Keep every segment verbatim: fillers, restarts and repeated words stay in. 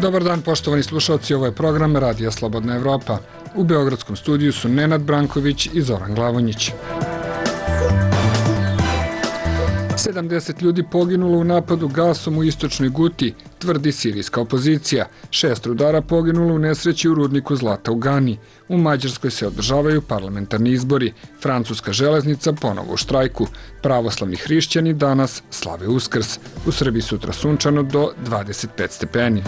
Dobar dan, poštovani slušalci, ovo je program Radija Slobodna Evropa. U beogradskom studiju su Nenad Branković i Zoran Glavonjić. sedamdeset ljudi poginulo u napadu gasom u istočnoj Guti, tvrdi sirijska opozicija. Šest rudara poginulo u nesreći u rudniku zlata u Gani. U Mađarskoj se održavaju parlamentarni izbori. Francuska železnica ponovo u štrajku. Pravoslavni hrišćani danas slave Uskrs. U Srbiji sutra sunčano do dvadeset pet stepeni.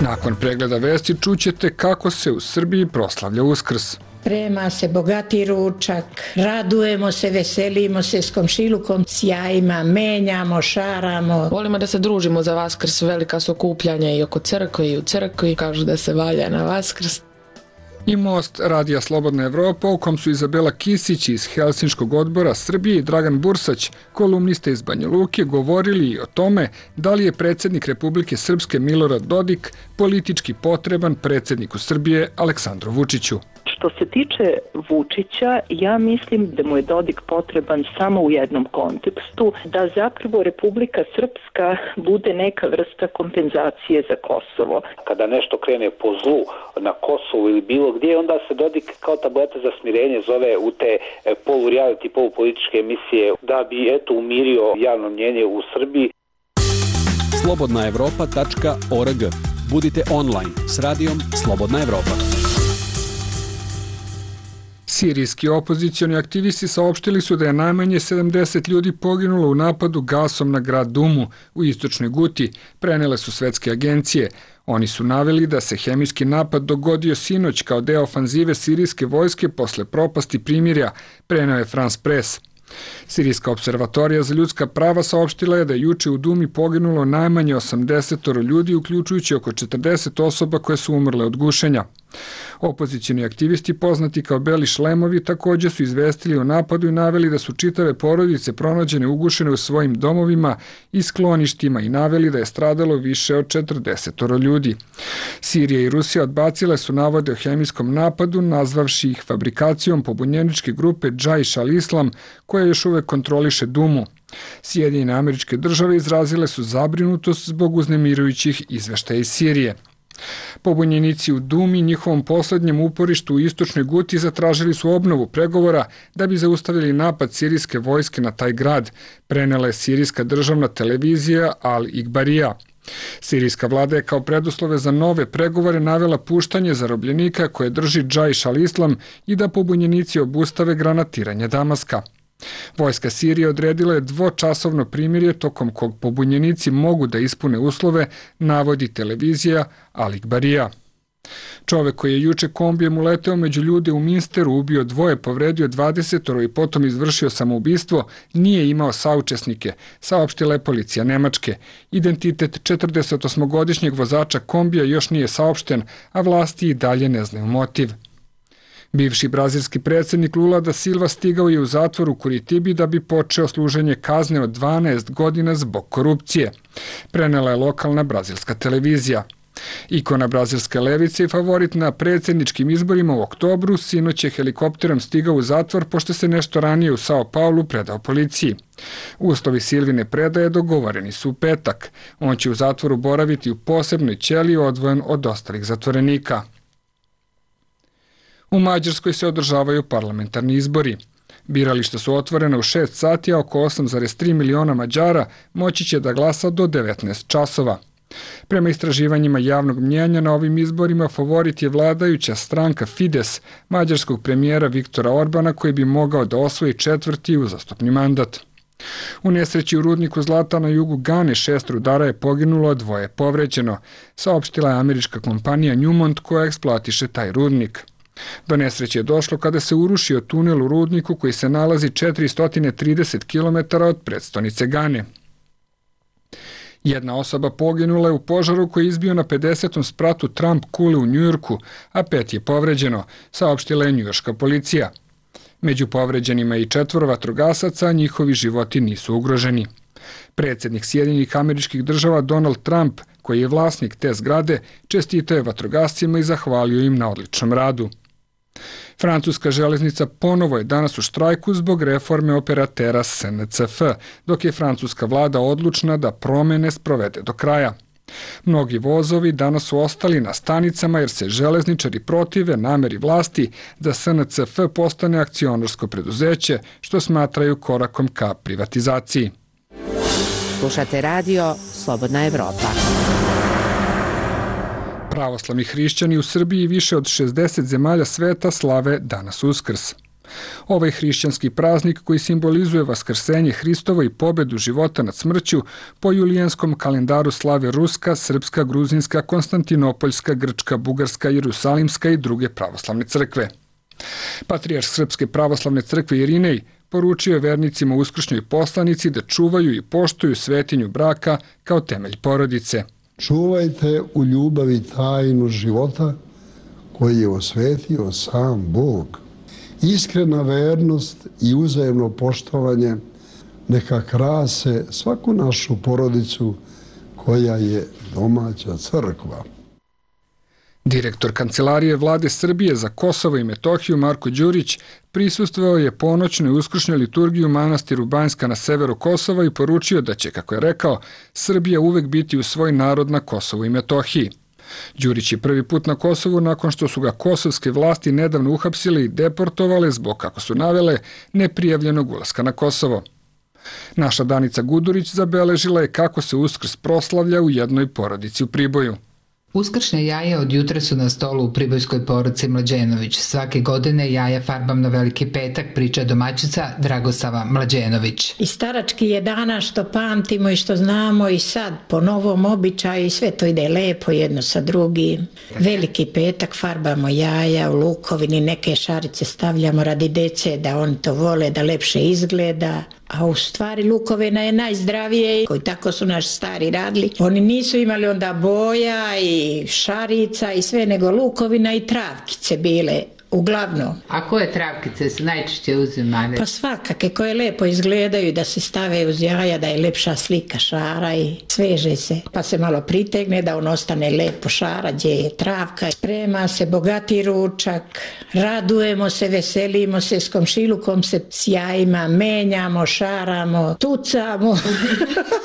Nakon pregleda vesti čućete kako se u Srbiji proslavlja Uskrs. Sprema se bogati ručak, radujemo se, veselimo se s komšilukom, sjajima, menjamo, šaramo. Volimo da se družimo za Vaskrs, velika su okupljanja i oko crkve i u crkvi, kažu da se valja na Vaskrs. I most Radija Slobodna Evropa, u kom su Izabela Kisić iz Helsinškog odbora Srbije i Dragan Bursać, kolumnista iz Banja Luke, govorili i o tome da li je predsjednik Republike Srpske Milorad Dodik politički potreban predsjedniku Srbije Aleksandru Vučiću. Što se tiče Vučića, ja mislim da mu je Dodik potreban samo u jednom kontekstu, da zapravo Republika Srpska bude neka vrsta kompenzacije za Kosovo. Kada nešto krene po zlu na Kosovu ili bilo gdje, onda se Dodik kao tableta za smirenje zove u te polu-reality, polupolitičke emisije da bi eto umirio javno mnjenje u Srbiji. slobodna evropa tačka org. Budite online s radijom Slobodna Evropa. Sirijski opozicioni aktivisti saopštili su da je najmanje sedamdeset ljudi poginulo u napadu gasom na grad Dumu u istočnoj Guti, prenele su svetske agencije. Oni su naveli da se hemijski napad dogodio sinoć kao deo ofanzive sirijske vojske posle propasti primirja, preneo je France Press. Sirijska observatorija za ljudska prava saopštila je da je juče u Dumi poginulo najmanje osamdeset ljudi, uključujući oko četrdeset osoba koje su umrle od gušenja. Opozicioni aktivisti, poznati kao Beli šlemovi, također su izvestili o napadu i naveli da su čitave porodice pronađene ugušene u svojim domovima i skloništima i naveli da je stradalo više od četrdeset ljudi. Sirija i Rusija odbacile su navode o hemijskom napadu, nazvavši ih fabrikacijom pobunjeničke grupe Džaiš al-Islam, koja još uvek kontroliše Dumu. Sjedinjene Američke Države izrazile su zabrinutost zbog uznemirujućih izveštaja iz Sirije. Pobunjenici u Dumi, njihovom poslednjem uporištu u istočnoj Guti, zatražili su obnovu pregovora da bi zaustavili napad sirijske vojske na taj grad, prenela je sirijska državna televizija Al-Ikbarija. Sirijska vlada je kao preduslove za nove pregovore navela puštanje zarobljenika koje drži Džaiš al-Islam i da pobunjenici obustave granatiranje Damaska. Vojska Sirije odredila je dvočasovno primirje tokom kog pobunjenici mogu da ispune uslove, navodi televizija Al-Ikbarija. Čovek koji je juče kombijem uleteo među ljude u Minsteru, ubio dvoje, povredio dvadeset i potom izvršio samoubistvo, nije imao saučesnike, saopštila je policija Nemačke. Identitet četrdesetosmogodišnjeg vozača kombija još nije saopšten, a vlasti i dalje ne znaju motiv. Bivši brazilski predsjednik Lula da Silva stigao je u zatvor u Kuritibi da bi počeo služenje kazne od dvanaest godina zbog korupcije, prenela je lokalna brazilska televizija. Ikona brazilske levice i favorit na predsjedničkim izborima u oktobru sinoć je helikopterom stigao u zatvor pošto se nešto ranije u Sao Paulu predao policiji. Uslovi Silvine predaje dogovoreni su u petak. On će u zatvoru boraviti u posebnoj ćeliji odvojen od ostalih zatvorenika. U Mađarskoj se održavaju parlamentarni izbori. Birališta su otvorena u šest sati, a oko osam zarez tri miliona Mađara moći će da glasa do devetnaest časova. Prema istraživanjima javnog mnjenja na ovim izborima favorit je vladajuća stranka Fides, mađarskog premijera Viktora Orbana, koji bi mogao da osvoji četvrti uzastopni mandat. U nesreći u rudniku zlata na jugu Gane šest rudara je poginulo, a dvoje povređeno, saopštila je američka kompanija Newmont koja eksploatiše taj rudnik. Do nesreće je došlo kada se urušio tunel u rudniku koji se nalazi četiristo trideset kilometara od prestonice Gane. Jedna osoba poginula je u požaru koji je izbio na pedesetom spratu Trump kule u Njujorku, a pet je povređeno, saopštila je njujorška policija. Među povređenima je i četvoro vatrogasaca, a njihovi životi nisu ugroženi. Predsjednik Sjedinjenih Američkih Država Donald Trump, koji je vlasnik te zgrade, čestitao je vatrogascima i zahvalio im na odličnom radu. Francuska železnica ponovo je danas u štrajku zbog reforme operatera S N C F, dok je francuska vlada odlučna da promene sprovede do kraja. Mnogi vozovi danas su ostali na stanicama jer se železničari protive nameri vlasti da S N C F postane akcionarsko preduzeće, što smatraju korakom ka privatizaciji. Slušate radio Slobodna Evropa. Pravoslavni hrišćani u Srbiji i više od šezdeset zemalja sveta slave danas Uskrs. Ovaj hrišćanski praznik koji simbolizuje vaskrsenje Hristovo i pobedu života nad smrću po julijanskom kalendaru slave Ruska, Srpska, Gruzinska, Konstantinopoljska, Grčka, Bugarska, Jerusalimska i druge pravoslavne crkve. Patrijarh Srpske pravoslavne crkve Irinej poručio je vernicima u uskršnjoj poslanici da čuvaju i poštuju svetinju braka kao temelj porodice. Čuvajte u ljubavi tajnu života koji je osvetio sam Bog. Iskrena vernost i uzajemno poštovanje neka krase svaku našu porodicu koja je domaća crkva. Direktor Kancelarije vlade Srbije za Kosovo i Metohiju Marko Đurić prisustvovao je ponoćnoj uskršnjoj liturgiji u manastiru Banjska na severu Kosova i poručio da će, kako je rekao, Srbija uvek biti u svoj narod na Kosovu i Metohiji. Đurić je prvi put na Kosovu nakon što su ga kosovske vlasti nedavno uhapsile i deportovale zbog, kako su navele, neprijavljenog ulaska na Kosovo. Naša Danica Gudurić zabeležila je kako se Uskrs proslavlja u jednoj porodici u Priboju. Uskršnje jaje od jutra su na stolu u pribojskoj porodici Mlađenović. Svake godine jaja farbam na Veliki petak, priča domaćica Dragosava Mlađenović. I starački je dana što pamtimo i što znamo i sad po novom običaju i sve to ide lepo jedno sa drugim. Veliki petak farbamo jaja u lukovini, neke šarice stavljamo radi dece da oni to vole, da lepše izgleda. A u stvari lukovina je najzdravije, koji tako su naši stari radili. Oni nisu imali onda boja i šarica i sve, nego lukovina i travkice bile. Uglavnom. A koje travkice su najčešće uzimane? Pa svakake koje lepo izgledaju da se stave uz jaja, da je lepša slika šara i sveže se. Pa se malo pritegne da on ostane lepo šara gdje je travka. Sprema se bogati ručak, radujemo se, veselimo se, s komšilukom se s jajima menjamo, šaramo, tucamo.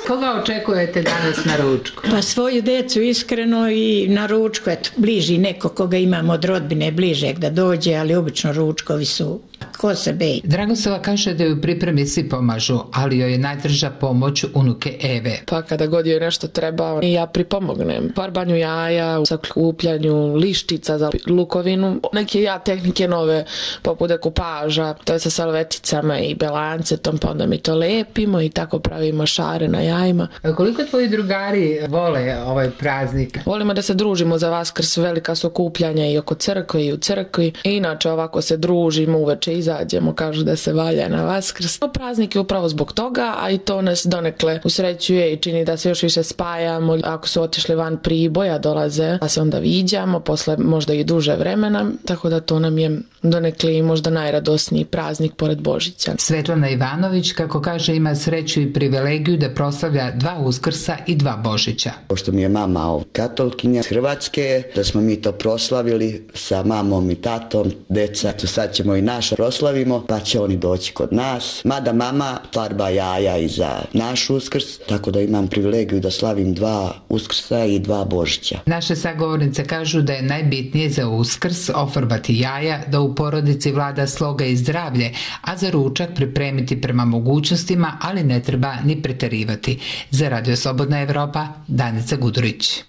Koga očekujete danas na ručku? Pa svoju decu iskreno i na ručku, eto, bliži neko koga imamo od rodbine bližeg da dođe, ali obično ručkovi su ko se beji. Dragosava kaže da ju pripremi svi pomažu, ali joj je najdraža pomoć unuke Eve. Pa kada god joj nešto treba, i ja pripomognem. Farbanju jaja, sakupljanju lištica za lukovinu. Neke ja tehnike nove, poput dekupaža, to je sa salveticama i belancetom, pa onda mi to lepimo i tako pravimo šare na jajima. A koliko tvoji drugari vole ovaj praznik? Volimo da se družimo za Vaskrs, velika su okupljanja i oko crkve i u crkvi. I inače ovako se družimo, uveče izađemo, kažu da se valja na Vaskrs. Praznik je upravo zbog toga, a i to nas donekle usrećuje i čini da se još više spajamo. Ako su otišli van Priboja, dolaze, da se onda viđamo, posle možda i duže vremena, tako da to nam je donekle i možda najradosniji praznik pored Božića. Svetlana Ivanović, kako kaže, ima sreću i privilegiju da proslavlja dva Uskrsa i dva Božića. Pošto mi je mama katolkinja Hrvatske, da smo mi to proslavili sa mamom i tatom, deca, sad ćemo i naš proslavimo, pa će oni doći kod nas. Mada mama farba jaja i za naš Uskrs, tako da imam privilegiju da slavim dva Uskrsa i dva Božića. Naše sagovornice kažu da je najbitnije za Uskrs ofarbati jaja, da u porodici vlada sloga i zdravlje, a za ručak pripremiti prema mogućnostima, ali ne treba ni preterivati. Za Radio Slobodna Evropa, Danica Gudurić.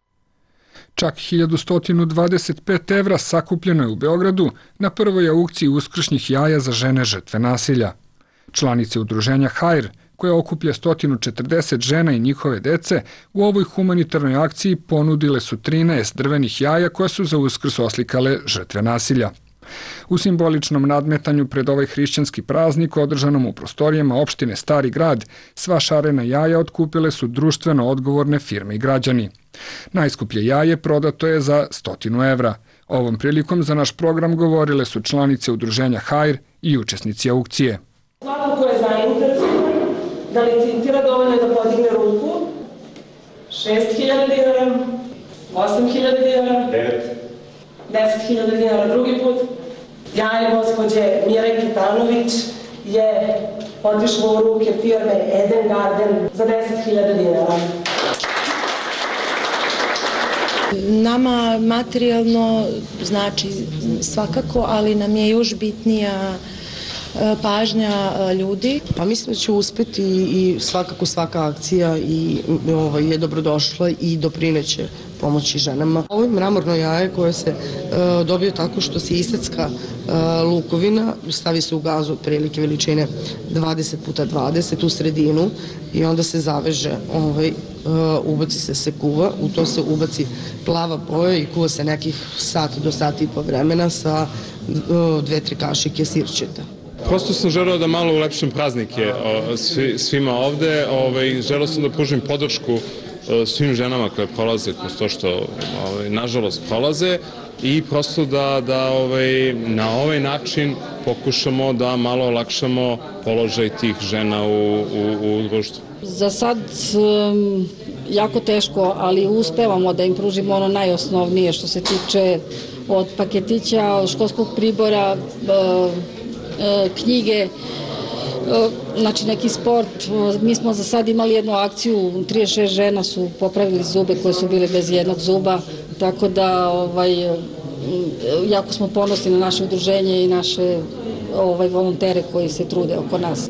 Čak hiljadu sto dvadeset pet evra sakupljeno je u Beogradu na prvoj aukciji uskršnjih jaja za žene žrtve nasilja. Članice udruženja Hajr, koja okuplja sto četrdeset žena i njihove dece, u ovoj humanitarnoj akciji ponudile su trinaest drvenih jaja koja su za Uskrs oslikale žrtve nasilja. U simboličnom nadmetanju pred ovaj hrišćanski praznik održanom u prostorijama opštine Stari grad, sva šarena jaja otkupile su društveno odgovorne firme i građani. Najskuplje jaje prodato je za stotinu evra. Ovom prilikom za naš program govorile su članice udruženja Hajr i učesnici aukcije. Svako ko je zainteresovan da licitira, dovoljno je da podigne ruku. šest hiljada dinara, osam hiljada dinara, deset hiljada dinara drugi put, Jaje gospođe Mire Kitanović je otišlo u ruke firme Eden Garden za deset hiljada dinara. Nama materijalno znači svakako, ali nam je još bitnija pažnja ljudi. Pa mislim da će uspeti i svakako svaka akcija i ovaj, je dobrodošla i doprineće pomoći ženama. Ovo je mramorno jaje koje se uh, dobije tako što se isecka uh, lukovina, stavi se u gazu otprilike veličine dvadeset puta dvadeset u sredinu i onda se zaveže, ovaj, uh, ubaci se se kuva, u to se ubaci plava boja i kuva se nekih sat do sati i po vremena sa uh, dve, tri kašike sirćeta. Prosto sam želeo da malo ulepšim praznike o, svi, svima ovde, ovaj, želeo sam da pružim podršku o, svim ženama koje prolaze kroz to što ovaj, nažalost prolaze i prosto da, da ovaj, na ovaj način pokušamo da malo olakšamo položaj tih žena u, u, u društvu. Za sad um, jako teško, ali uspevamo da im pružimo ono najosnovnije što se tiče od paketića, od školskog pribora, uh, knjige, znači neki sport. Mi smo za sad imali jednu akciju, trideset šest žena su popravili zube koje su bile bez jednog zuba, tako da ovaj, jako smo ponosni na naše udruženje i naše ovaj, volontere koji se trude oko nas.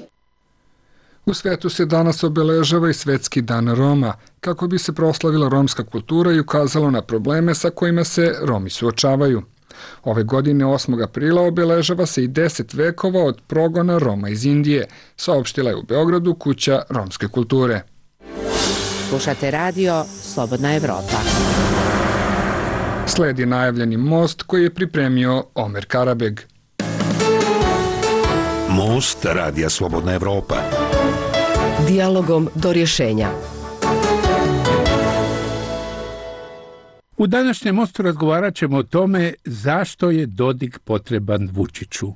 U svetu se danas obeležava i Svetski dan Roma, kako bi se proslavila romska kultura i ukazalo na probleme sa kojima se Romi suočavaju. Ove godine osmog aprila obeležava se i deset vekova od progona Roma iz Indije, saopštila je u Beogradu Kuća romske kulture. Slušate radio Slobodna Evropa. Sledi najavljeni most koji je pripremio Omer Karabeg. Most radija Slobodna Evropa. Dijalogom do rješenja. U današnjem mostu razgovarat ćemo o tome zašto je Dodik potreban Vučiću.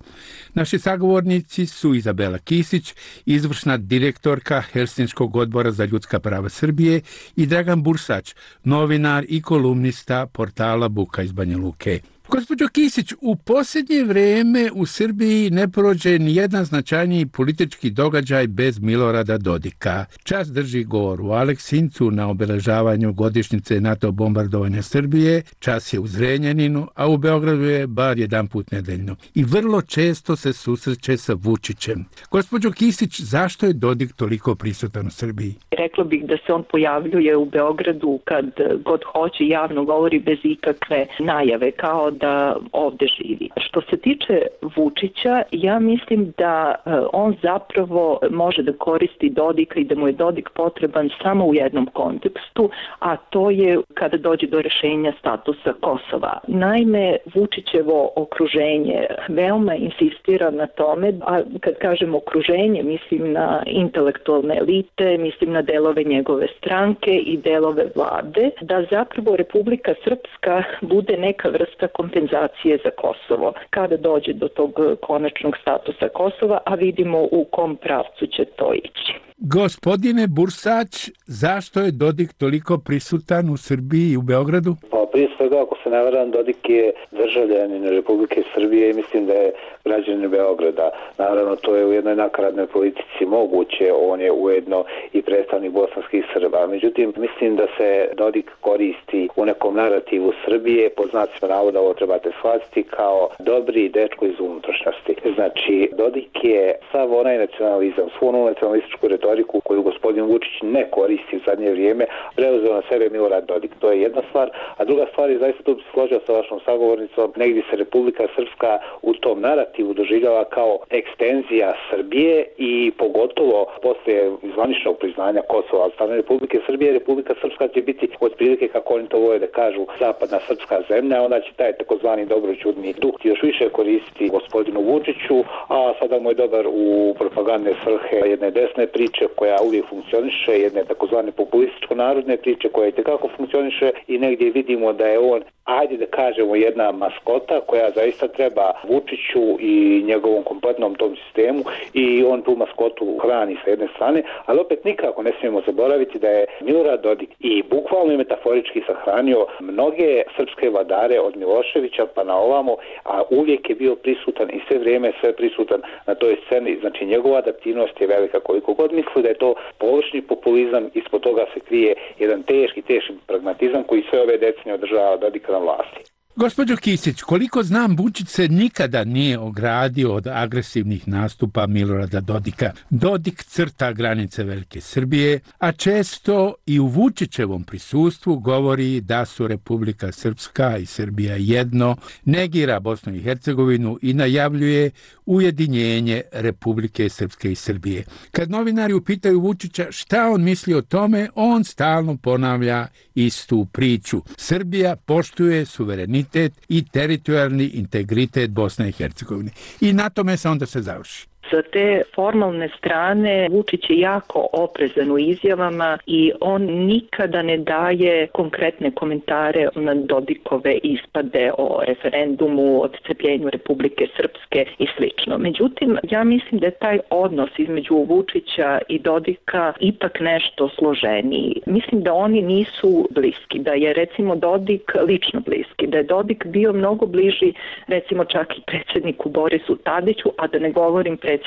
Naši sagovornici su Izabela Kisić, izvršna direktorka Helsinškog odbora za ljudska prava Srbije, i Dragan Bursać, novinar i kolumnista portala Buka iz Banja Luke. Gospođo Kisić, u posljednje vreme u Srbiji ne prođe ni jedan značajniji politički događaj bez Milorada Dodika. Čas drži govor u Aleksincu na obeležavanju godišnjice NATO bombardovanja Srbije, čas je u Zrenjaninu, a u Beogradu je bar jedan put nedeljno. I vrlo često se susreće sa Vučićem. Gospođo Kisić, zašto je Dodik toliko prisutan u Srbiji? Rekla bih da se on pojavljuje u Beogradu kad god hoće, javno govori bez ikakve najave, kao da ovde živi. Što se tiče Vučića, ja mislim da on zapravo može da koristi Dodika i da mu je Dodik potreban samo u jednom kontekstu, a to je kada dođe do rešenja statusa Kosova. Naime, Vučićevo okruženje veoma insistira na tome, a kad kažem okruženje, mislim na intelektualne elite, mislim na delove njegove stranke i delove vlade, da zapravo Republika Srpska bude neka vrsta kompenzacije za Kosovo kada dođe do tog konačnog statusa Kosova, a vidimo u kom pravcu će to ići. Gospodine Bursać, zašto je Dodik toliko prisutan u Srbiji i u Beogradu? Pa prije svega, ako se ne varam, Dodik je državljanin Republike Srbije i mislim da je građanin Beograda. Naravno, to je u jednoj nakaradnoj politici moguće, on je ujedno i predstavnik bosanskih Srba. Međutim, mislim da se Dodik koristi u nekom narativu Srbije, po znacima navoda ovo trebate shvatiti, kao dobri dečko iz unutrašnjosti. Znači, Dodik je sav onaj nacionalizam, svu onu nacionalističku retoriku koju gospodin Vučić ne koristi u zadnje vrijeme, preuzeo na sebe Milorad Dodik. To je jedna stvar, a druga stvar je, zaista tu bi se složio sa vašom sagovornicom, negdje se Republika Srpska u tom narativu doživljava kao ekstenzija Srbije i pogotovo poslije zvaničnog priznanja Kosova od strane Republike Srbije, Republika Srpska će biti otprilike, kako oni to vole da kažu, zapadna srpska zemlja, onda će taj takozvani dobroćudni duh još više koristiti gospodinu Vučiću, a sada mu je dobar u propagandne svrhe jedne desne priče koja uvijek funkcioniše, jedne takozvane populističko-narodne priče koja i tekako funkcioniše i negdje vidimo da je on ajde da kažemo jedna maskota koja zaista treba Vučiću i njegovom kompletnom tom sistemu i on tu maskotu hrani sa jedne strane, ali opet nikako ne smijemo zaboraviti da je Milorad Dodik i bukvalno i metaforički sahranio mnoge srpske vladare od Miloševića pa na ovamo, a uvijek je bio prisutan i sve vrijeme sve prisutan na toj sceni. Znači njegova adaptivnost je velika, koliko god misli da je to površni populizam, ispod toga se krije jedan teški, teški pragmatizam koji sve ove decenije održava Dodika na vlasti. Gospođo Kisić, koliko znam, Vučić se nikada nije ogradio od agresivnih nastupa Milorada Dodika. Dodik crta granice Velike Srbije, a često i u Vučićevom prisustvu govori da su Republika Srpska i Srbija jedno, negira Bosnu i Hercegovinu i najavljuje ujedinjenje Republike Srpske i Srbije. Kad novinari upitaju Vučića šta on misli o tome, on stalno ponavlja istu priču. Srbija poštuje suverenitet i teritorijalni integritet Bosne i Hercegovine. I na tome se onda se završi. Sa te formalne strane Vučić je jako oprezan u izjavama i on nikada ne daje konkretne komentare na Dodikove ispade o referendumu, odcepljenju Republike Srpske i slično. Međutim, ja mislim da je taj odnos između Vučića i Dodika ipak nešto složeniji. Mislim da oni nisu bliski, da je recimo Dodik lično bliski, da je Dodik bio mnogo bliži recimo čak i predsjedniku Borisu Tadiću, a da ne govorim predsjedniku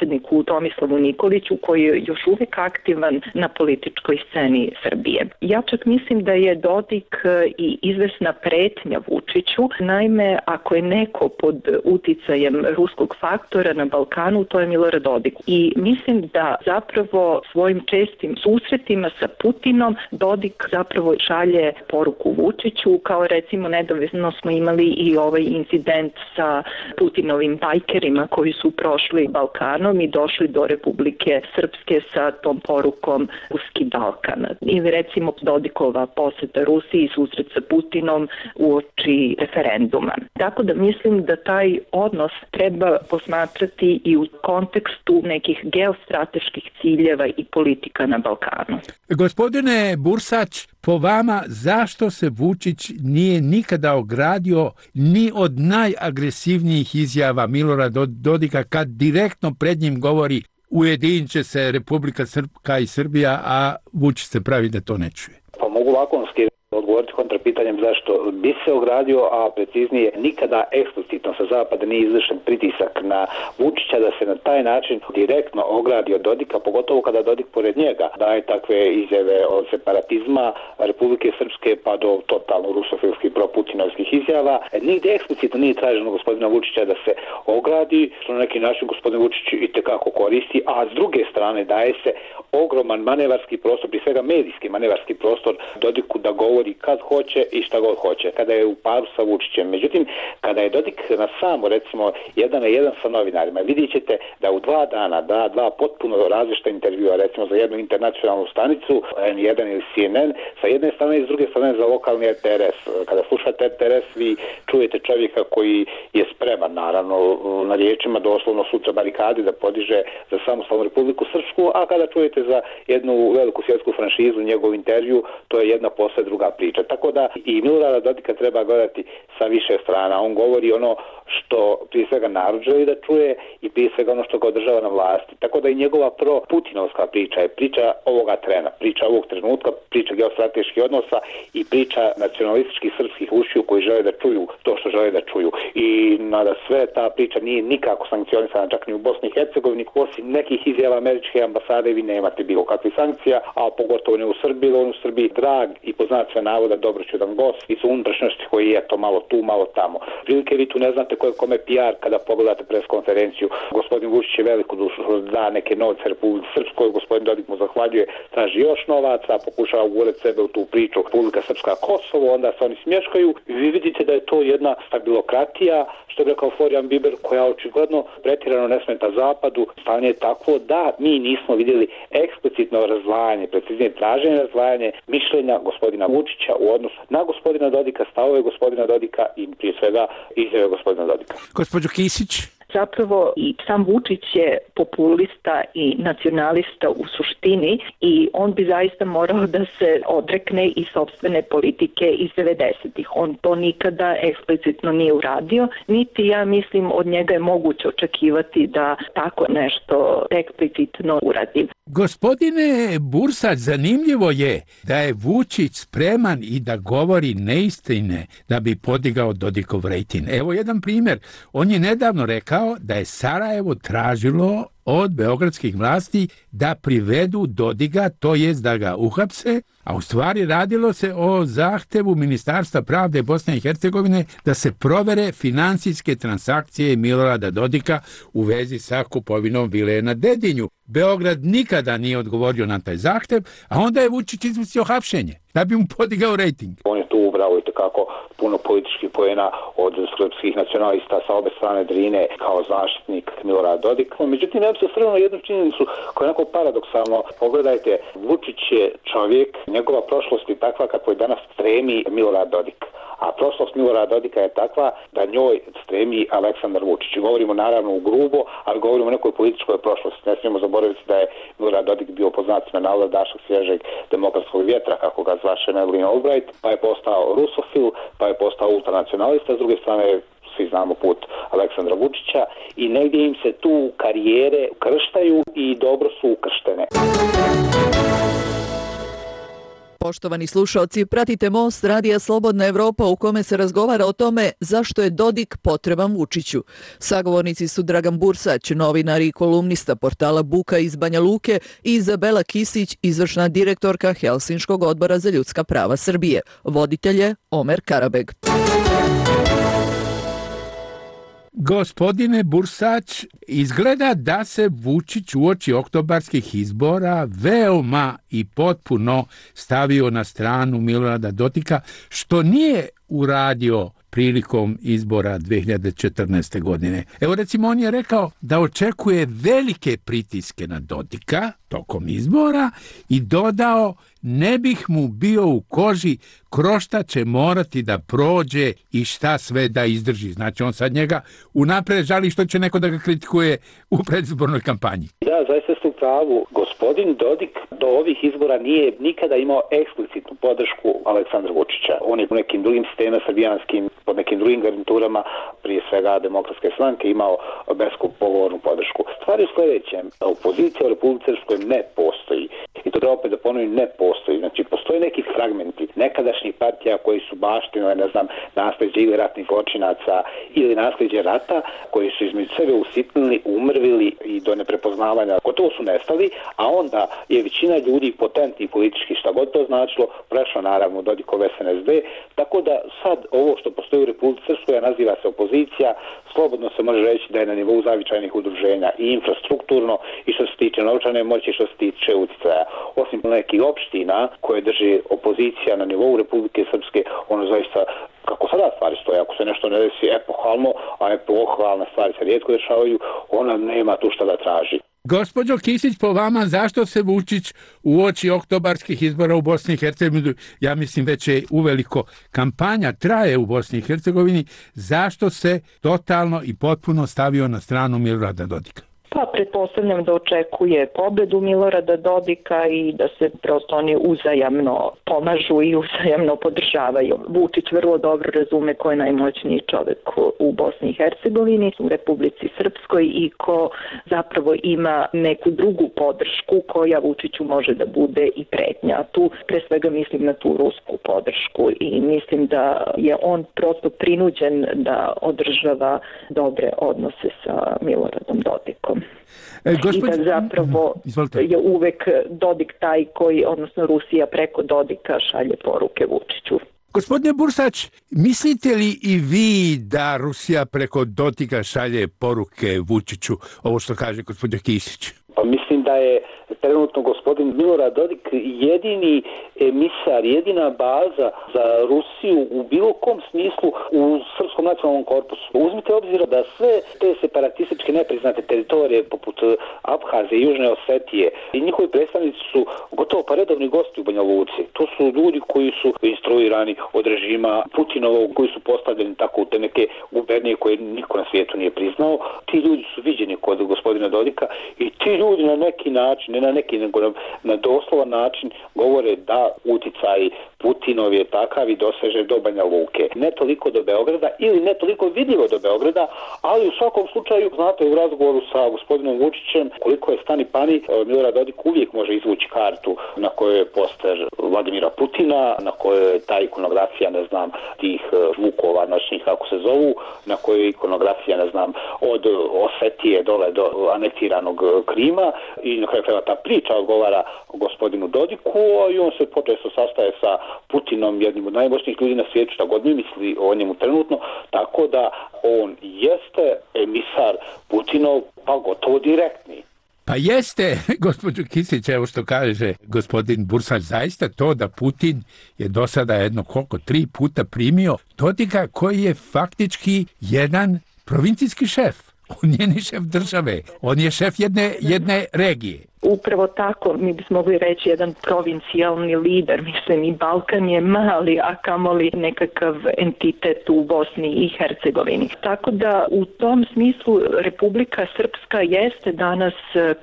Tomislavu Nikoliću koji je još uvijek aktivan na političkoj sceni Srbije. Ja čak mislim da je Dodik i izvesna pretnja Vučiću. Naime, ako je neko pod uticajem ruskog faktora na Balkanu, to je Milorad Dodik. I mislim da zapravo svojim čestim susretima sa Putinom Dodik zapravo šalje poruku Vučiću, kao recimo nedavno smo imali i ovaj incident sa Putinovim bajkerima koji su prošli Balkan i došli do Republike Srpske sa tom porukom Ruski Balkan. Ili recimo Dodikova posjeta Rusiji i susret sa Putinom uoči referenduma. Tako da mislim da taj odnos treba posmatrati i u kontekstu nekih geostrateških ciljeva i politika na Balkanu. Gospodine Bursać, po vama zašto se Vučić nije nikada ogradio ni od najagresivnijih izjava Milorada Dodika kad direktno pred njim govori ujedinit će se Republika Srpska i Srbija, a Vučić se pravi da to ne čuje? Pa mogu lakonski odgovoriti kontrapitanjem zašto bi se ogradio, a preciznije nikada eksplicitno sa zapada nije izvršen pritisak na Vučića da se na taj način direktno ogradi od Dodika, pogotovo kada Dodik pored njega daje takve izjave od separatizma Republike Srpske pa do totalno rusofilskih proputinovskih izjava. Nigdje eksplicitno nije traženo gospodina Vučića da se ogradi, što na neki način gospodin Vučić i tekako koristi, a s druge strane daje se ogroman manevarski prostor, prije svega medijski manevarski prostor Dodiku da govori kad hoće i šta god hoće, kada je u paru sa Vučićem. Međutim, kada je Dodik na samo, recimo, jedan na jedan sa novinarima, vidjet ćete da u dva dana da dva potpuno različita intervjua, recimo za jednu internacionalnu stanicu, en jedan ili C N N, sa jedne strane i s druge strane za lokalni R T R S. Kada slušate R T R S, vi čujete čovjeka koji je spreman, naravno, na riječima doslovno sutra barikade da podiže za samostalnu Republiku Srpsku, a kada čujete za jednu veliku svjetsku franšizu njegov intervju, to je jedna posle druga priča. Tako da i Milorada Dodika treba gledati sa više strana. On govori ono što prije svega narod želi da čuje i prije svega ono što ga održava na vlasti. Tako da i njegova pro-putinovska priča je priča ovoga trena, priča ovog trenutka, priča geostrateških odnosa i priča nacionalističkih srpskih ušiju koji žele da čuju to što žele da čuju. I nada sve ta priča nije nikako sankcionisana čak ni u Bosni i Hercegovini, osim nekih izjava američke ambasade vi nemate bilo kakvih sankcija, a pogotovo ne u Srbiji, on u Srbiji drag i poznat sve navoda dobroćudan gost i su unutrašnjosti koji je to malo tu, malo tamo. Prilike vi tu ne znate ko je kome P R kada pogledate pres konferenciju. Gospodin Vučić je veliku dušu da neke novce Republike Srpskoj, gospodin Dodik mu zahvaljuje, traži još novaca, pokušava ugurati sebe u tu priču Republika Srpska Kosovo, onda se oni smješkaju i vi vidite da je to jedna stabilokratija, što je rekao Florian Biber, koja očigledno pretirano ne smeta zapadu. Stanje je takvo da mi nismo vidjeli eksplicitno razdvajanje, preciznije traženje razdvajanje mišljenja gospodina Vučića u odnosu na gospodina Dodika, stavove gospodina Dodika i prije svega izjave gospodina Dodika. Gospođo Kisić? Zapravo i sam Vučić je populista i nacionalista u suštini i on bi zaista morao da se odrekne i sopstvene politike iz devedesetih. On to nikada eksplicitno nije uradio, niti ja mislim od njega je moguće očekivati da tako nešto eksplicitno uradi. Gospodine Bursać, zanimljivo je da je Vučić spreman i da govori neistine da bi podigao Dodikov rejting. Evo jedan primjer. On je nedavno rekao da je Sarajevo tražilo od beogradskih vlasti da privedu Dodiga, to jest da ga uhapse, a u stvari radilo se o zahtevu Ministarstva pravde Bosne i Hercegovine da se provere finansijske transakcije Milorada Dodika u vezi sa kupovinom vile na Dedinju. Beograd nikada nije odgovorio na taj zahtev, a onda je Vučić izmislio hapšenje da bi mu podigao rejting. On je tu ubrao i tekako puno političkih poena od srpskih nacionalista sa obe strane Drine kao zaštitnik Milorada Dodika. Međutim, ja bi se osvrnuo na jednu činjenicu koja je onako paradoksalno. Pogledajte, Vučić je čovjek, njegova prošlost je takva kako je danas stremi Milorad Dodik. A prošlost Milorada Dodika je takva da njoj stremi Aleksandar Vučić. Govorimo naravno u grubo, ali govorimo o nekoj političkoj prošlosti. Ne smijemo zaboraviti da je Milorad Dodik bio po znacima navoda dašak svježeg demokratskog vjetra, kako ga zvaše Madeleine Albright, pa je postao rusofil, pa je postao ultranacionalista, s druge strane svi znamo put Aleksandra Vučića i negdje im se tu karijere krštaju i dobro su ukrštene. Poštovani slušalci, pratite Most Radija Slobodna Evropa u kome se razgovara o tome zašto je Dodik potreban Vučiću. Sagovornici su Dragan Bursać, novinar i kolumnista portala Buka iz Banja Luke i Izabela Kisić, izvršna direktorka Helsinškog odbora za ljudska prava Srbije. Voditelj je Omer Karabeg. Gospodine Bursać, izgleda da se Vučić uoči oktobarskih izbora veoma i potpuno stavio na stranu Milorada Dodika, što nije uradio prilikom izbora dve hiljade četrnaeste. godine. Evo recimo on je rekao da očekuje velike pritiske na Dodika tokom izbora i dodao ne bih mu bio u koži kroz šta će morati da prođe i šta sve da izdrži. Znači on sad njega unapred žali što će neko da ga kritikuje u predizbornoj kampanji. Da, zaista ste u pravu. Gospodin Dodik do ovih izbora nije nikada imao eksplicitnu podršku Aleksandra Vučića. On je u nekim drugim sistemima srbijanskim, pod nekim drugim garniturama, prije svega Demokratske stranke, imao bespogovornu podršku. Stvar je u sljedećem. Opozicija u Republici Srpskoj ne postoji. I to treba opet da ponovim, ne postoji. Znači, postoje neki fragmenti nekadašnjih partija koji su baštinove, ne znam, nasljeđe ili ratnih zločinaca ili nasljeđe rata, koji su između sebe usitnili, umrvili i do neprepoznavanja. Gotovo su nestali, a onda je većina ljudi potentni politički, šta god to značilo, prešla naravno Dodikov S N S D, tako da sad ovo što postoji u Republici Srpskoj naziva se opozicija, slobodno se može reći da je na nivou zavičajnih udruženja i infrastrukturno i što se tiče novčane moći i što se tiče utjecaja. Osim nekih opština koje drži opozicija na nivou Republike Srpske, ono zaista, kako sada stvari stoje, ako se nešto ne desi epohalno, a epohalne stvari se rijetko dešavaju, ona nema tu šta da traži. Gospođo Kisić, po vama, zašto se Vučić uoči oktobarskih izbora u Bosni i Hercegovini, ja mislim već je uveliko kampanja traje u Bosni i Hercegovini, zašto se totalno i potpuno stavio na stranu Milorada Dodika? Pa pretpostavljam da očekuje pobedu Milorada Dodika i da se prosto oni uzajamno pomažu i uzajamno podržavaju. Vučić vrlo dobro razume ko je najmoćniji čovjek u Bosni i Hercegovini, u Republici Srpskoj i ko zapravo ima neku drugu podršku koja Vučiću može da bude i pretnja. Tu pre svega mislim na tu rusku podršku i mislim da je on prosto prinuđen da održava dobre odnose sa Miloradom Dodikom. E, I da zapravo Izvolite. je uvek Dodik taj koji, odnosno Rusija preko Dodika šalje poruke Vučiću. Gospodine Bursać, mislite li i vi da Rusija preko Dodika šalje poruke Vučiću, ovo što kaže gospođa Kisić? Pa mislim da je trenutno gospodin Milorad Dodik jedini emisar, jedina baza za Rusiju u bilo kom smislu u Srpskom nacionalnom korpusu. Uzmite obzira da sve te separatističke nepriznate teritorije poput Abhazije i Južne Osetije i njihovi predstavnici su gotovo pa redovni gosti u Banja Luci. To su ljudi koji su instruirani od režima Putinovog, koji su postavljeni tako u te neke gubernije koje niko na svijetu nije priznao. Ti ljudi su viđeni kod gospodina Dodika i ti ljudi na neki način, ne na neki, nego na, na doslovan način govore da uticaj Putinov je takav i doseže do Banja Luke. Ne toliko do Beograda ili ne toliko vidljivo do Beograda, ali u svakom slučaju, znate, u razgovoru sa gospodinom Vučićem, koliko je stani pani, Milorad Dodik uvijek može izvući kartu na kojoj je poster Vladimira Putina, na kojoj je ta ikonografija, ne znam, tih zvukova noćnih, kako se zovu, na kojoj je ikonografija, ne znam, od Osetije dole do anektiranog Krima i na kraju krajeva ta priča odgovara gospodinu Dodiku i on se počesto sastaje sa Putinom, jednim od najmoćnijih ljudi na svijetu, šta god mi misli o njemu trenutno, tako da on jeste emisar Putinov, pa gotovo direktni. Pa jeste, gospođo Kisić, evo što kaže gospodin Bursać, zaista to da Putin je do sada jedno koliko, tri puta primio Dodika koji je faktički jedan provincijski šef. On je ni šef države, on je šef jedne, jedne regije. Upravo tako, mi bismo mogli reći jedan provincijalni lider, mislim i Balkan je mali, a kamoli nekakav entitet u Bosni i Hercegovini. Tako da u tom smislu Republika Srpska jeste danas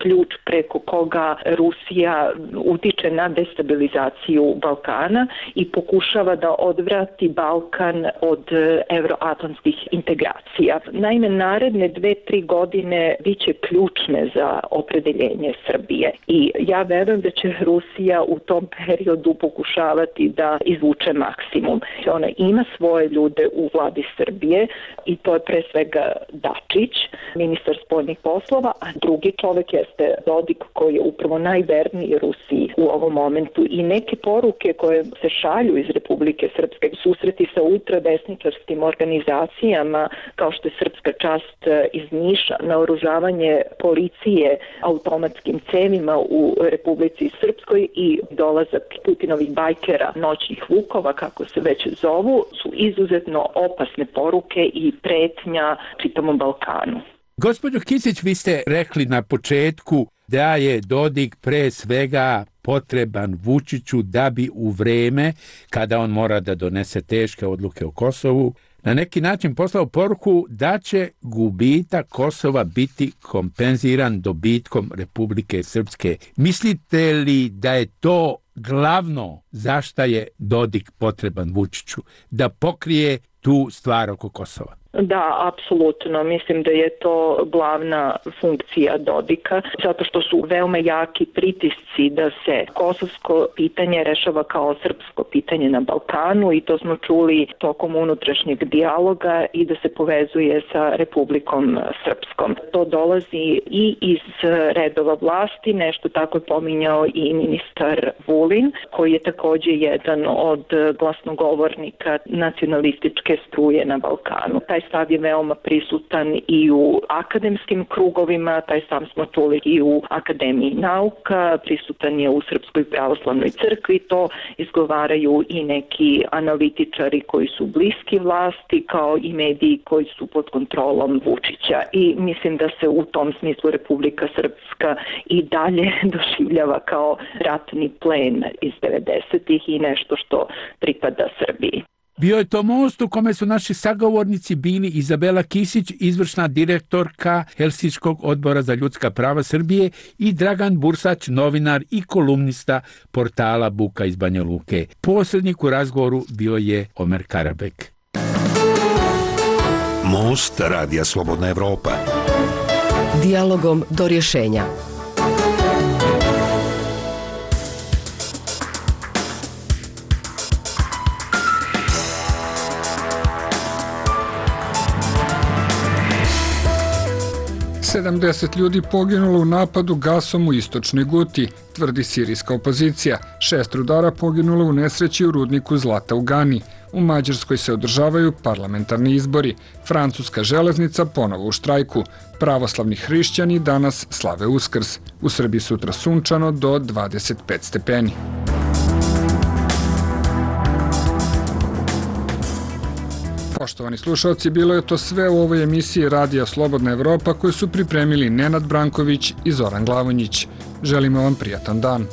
ključ preko koga Rusija utiče na destabilizaciju Balkana i pokušava da odvrati Balkan od evroatlantskih integracija. Naime, naredne dve, tri godine biće ključne za opredeljenje Srbije. I ja verujem da će Rusija u tom periodu pokušavati da izvuče maksimum. Ona ima svoje ljude u vladi Srbije i to je pre svega Dačić, ministar spoljnih poslova, a drugi čovek jeste Dodik koji je upravo najverniji Rusiji u ovom momentu i neke poruke koje se šalju iz Republike Srpske, susreti sa ultradesničarskim organizacijama kao što je Srpska čast iz Niša, naoružavanje policije automatskim cevima u Republici Srpskoj i dolazak Putinovih bajkera, noćnih vukova, kako se već zovu, su izuzetno opasne poruke i pretnja čitavom Balkanu. Gospođo Kisić, vi ste rekli na početku da je Dodik pre svega potreban Vučiću da bi u vreme kada on mora da donese teške odluke o Kosovu na neki način poslao poruku da će gubitak Kosova biti kompenziran dobitkom Republike Srpske. Mislite li da je to glavno zašto je Dodik potreban Vučiću? Da pokrije tu stvar oko Kosova? Da, apsolutno. Mislim da je to glavna funkcija Dodika, zato što su veoma jaki pritisci da se kosovsko pitanje rešava kao srpsko pitanje na Balkanu i to smo čuli tokom unutrašnjeg dijaloga i da se povezuje sa Republikom Srpskom. To dolazi i iz redova vlasti, nešto tako je pominjao i ministar Vulin, koji je takođe jedan od glasnogovornika nacionalističke struje na Balkanu. Taj stav je veoma prisutan i u akademskim krugovima, taj stav smo čuli i u Akademiji nauka, prisutan je u Srpskoj pravoslavnoj crkvi, to izgovaraju i neki analitičari koji su bliski vlasti, kao i mediji koji su pod kontrolom Vučića. I mislim da se u tom smislu Republika Srpska i dalje doživljava kao ratni plen iz devedesetih i nešto što pripada Srbiji. Bio je to most u kome su naši sagovornici bili Izabela Kisić, izvršna direktorka Helsinškog odbora za ljudska prava Srbije i Dragan Bursać, novinar i kolumnista portala Buka iz Banja Luke. Posrednik u razgovoru bio je Omer Karabek. Most Radija Slobodna Evropa. Dijalogom do rješenja. sedamdeset ljudi poginulo u napadu gasom u istočnoj Guti, tvrdi sirijska opozicija. Šest rudara poginulo u nesreći u rudniku zlata u Gani. U Mađarskoj se održavaju parlamentarni izbori. Francuska železnica ponovo u štrajku. Pravoslavni hrišćani danas slave Uskrs. U Srbiji sutra sunčano do dvadeset pet stepeni. Poštovani slušalci, bilo je to sve u ovoj emisiji Radija Slobodna Evropa koju su pripremili Nenad Branković i Zoran Glavonjić. Želimo vam prijatan dan.